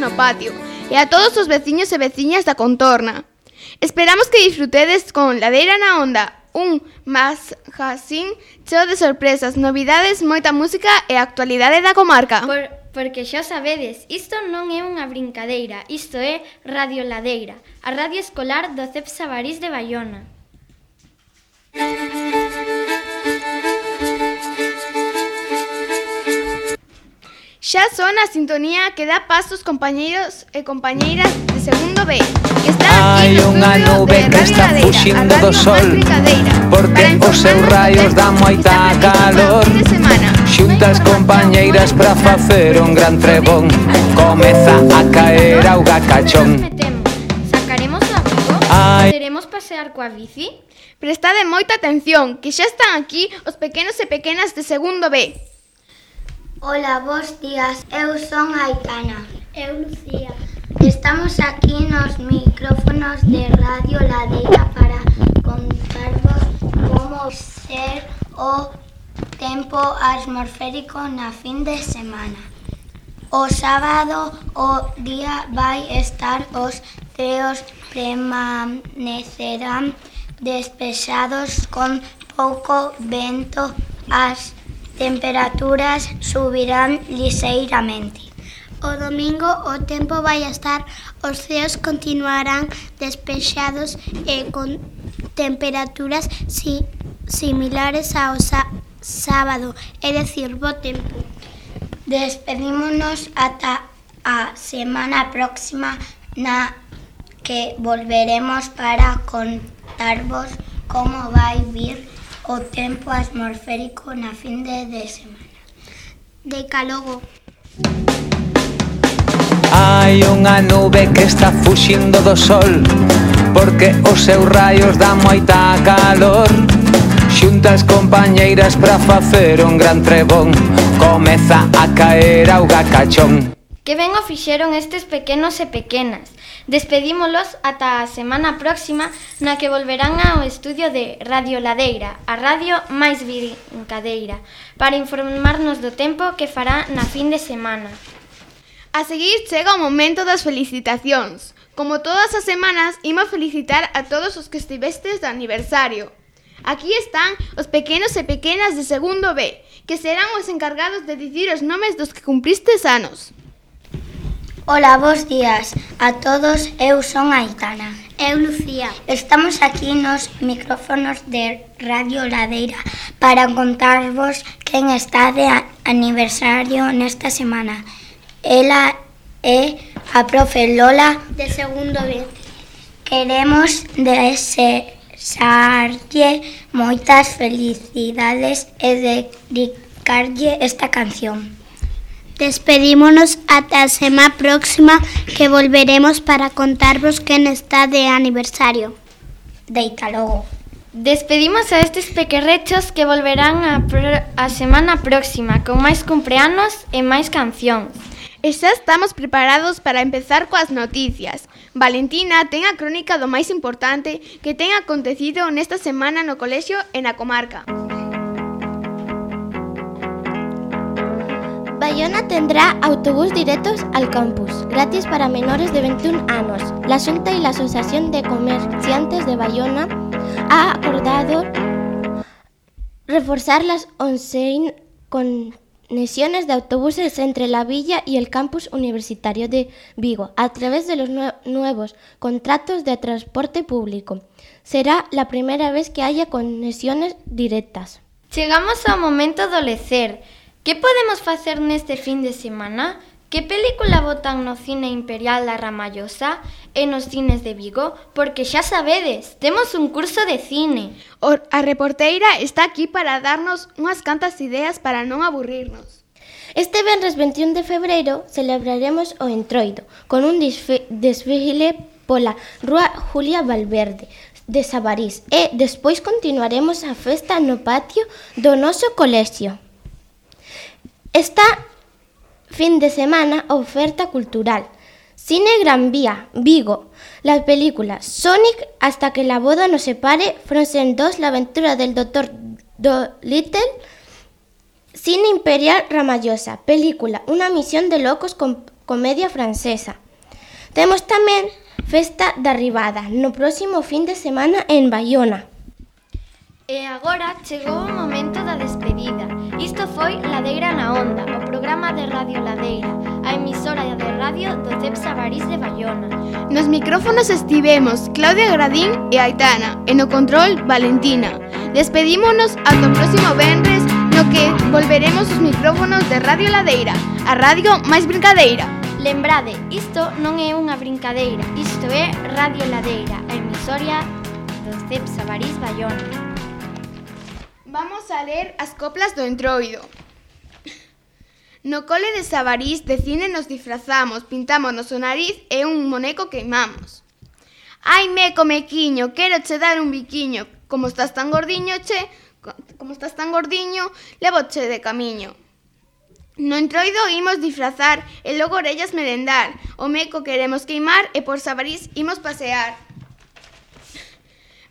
no patio e a todos os veciños e veciñas da contorna. Esperamos que disfrutedes con Ladeira na Onda, un magazín cheo de sorpresas, novidades, moita música e actualidade da comarca. Porque xa sabedes, isto non é unha brincadeira, isto é Radio Ladeira, a radio escolar do CEP Sabarís de Baiona. Xa son a sintonía que dá paso aos compañeiros e compañeiras de segundo B, que están aquí no estudio de Radio Ladeira, a radio máis brincadeira, porque os seus raios dan moita calor. Xuntas compañeiras para facer un gran trebón, comeza a caer auga cachón. Sacaremos o abrigo? Poderemos pasear coa bici? Prestade moita atención, que xa están aquí os pequenos e pequenas de segundo B. Hola, bos días, eu son Aitana. Eu, Lucía. Estamos aquí nos micrófonos de Radio Ladeira para contarvos como ser o tempo atmosférico na fin de semana. O sábado o día vai estar, os ceos permanecerán despexados con pouco vento, as temperaturas subirán lixeiramente. O domingo o tempo vai estar, os ceos continuarán despexados e con temperaturas similares ao sábado, é dicir, bo tempo. Despedímonos ata a semana próxima, na que volveremos para contarvos como vai vir o tempo atmosférico na fin de semana. Decálogo. Hai unha nube que está fuxindo do sol, porque os seus raios dan moita calor. Xuntas compañeiras para facer un gran trebón, comeza a caer auga cachón. Que ben o fixeron estes pequenos e pequenas. Despedímolos ata a semana próxima, na que volverán ao estudio de Radio Ladeira, a radio máis brincadeira, para informarnos do tempo que fará na fin de semana. A seguir chega o momento das felicitacións. Como todas as semanas, imos felicitar a todos os que estivestes de aniversario. Aquí están os pequenos e pequenas de segundo B, que serán os encargados de dicir os nomes dos que cumpristes anos. Hola, bos días a todos, eu son Aitana. Eu, Lucía. Estamos aquí nos micrófonos de Radio Ladeira para contarvos quen está de aniversario nesta semana. Ela é a profe Lola de segundo B. Queremos desexarlle moitas felicidades e dedicarlle esta canción. Despedímonos ata a semana próxima, que volveremos para contarvos quen está de aniversario. Deita logo. Despedimos a estes pequerrechos que volverán a semana próxima con máis cumpleanos e máis cancións. E xa estamos preparados para empezar coas noticias. Valentina ten a crónica do máis importante que ten acontecido nesta semana no colexio e na comarca. Baiona tendrá autobús directos al campus, gratis para menores de 21 años. La Xunta y la Asociación de Comerciantes de Baiona ha acordado reforzar las 11 conexiones de autobuses entre la villa y el campus universitario de Vigo a través de los nuevos contratos de transporte público. Será la primera vez que haya conexiones directas. Chegamos ao momento do lecer. Que podemos facer neste fin de semana? Que película botan no cine Imperial da Ramallosa e nos cines de Vigo? Porque xa sabedes, temos un curso de cine. A reporteira está aquí para darnos unhas cantas ideas para non aburrirnos. Este venres 21 de febreiro celebraremos o Entroido con un desfile pola Rúa Julia Valverde de Sabarís e despois continuaremos a festa no patio do noso colexio. Esta fin de semana, oferta cultural. Cine Gran Vía, Vigo. Las películas Sonic, Hasta que la boda nos separe, Frozen 2, La aventura del Dr. Dolittle, Cine Imperial Ramallosa, película Unha misión de locos con comedia francesa. Temos tamén Festa da Ribada, no próximo fin de semana en Baiona. E agora chegou o momento da despedida. Isto foi Ladeira na Onda, o programa de Radio Ladeira, a emisora de radio do CEP Sabarís de Baiona. Nos micrófonos estivemos Claudia Gradín e Aitana, e no control Valentina. Despedímonos ata o próximo venres, no que volveremos os micrófonos de Radio Ladeira, a radio máis brincadeira. Lembrade, isto non é unha brincadeira, isto é Radio Ladeira, a emisora do CEP Sabarís Baiona. Vamos a ler as coplas do Entroido. No cole de Sabarís de cine nos disfrazamos, pintámonos o nariz e un moneco queimamos. Ai, meco, mequiño, quero che dar un biquiño. Como estás tan gordiño, levoche de camiño. No Entroido imos disfrazar e logo orellas merendar. O meco queremos queimar e por Sabarís imos pasear.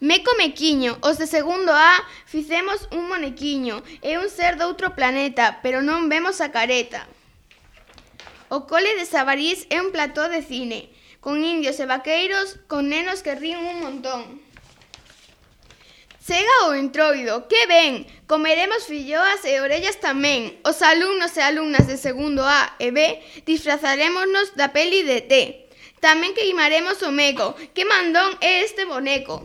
Meco mequiño, os de segundo A fixemos un monequiño e un ser doutro planeta, pero non vemos a careta. O cole de Sabarís é un plató de cine, con indios e vaqueiros, con nenos que ríen un montón. Chega o Entroido, que ben, comeremos filloas e orellas tamén. Os alumnos e alumnas de segundo A e B disfrazarémonos da peli de T. Tamén queimaremos o meco, que mandón é este boneco.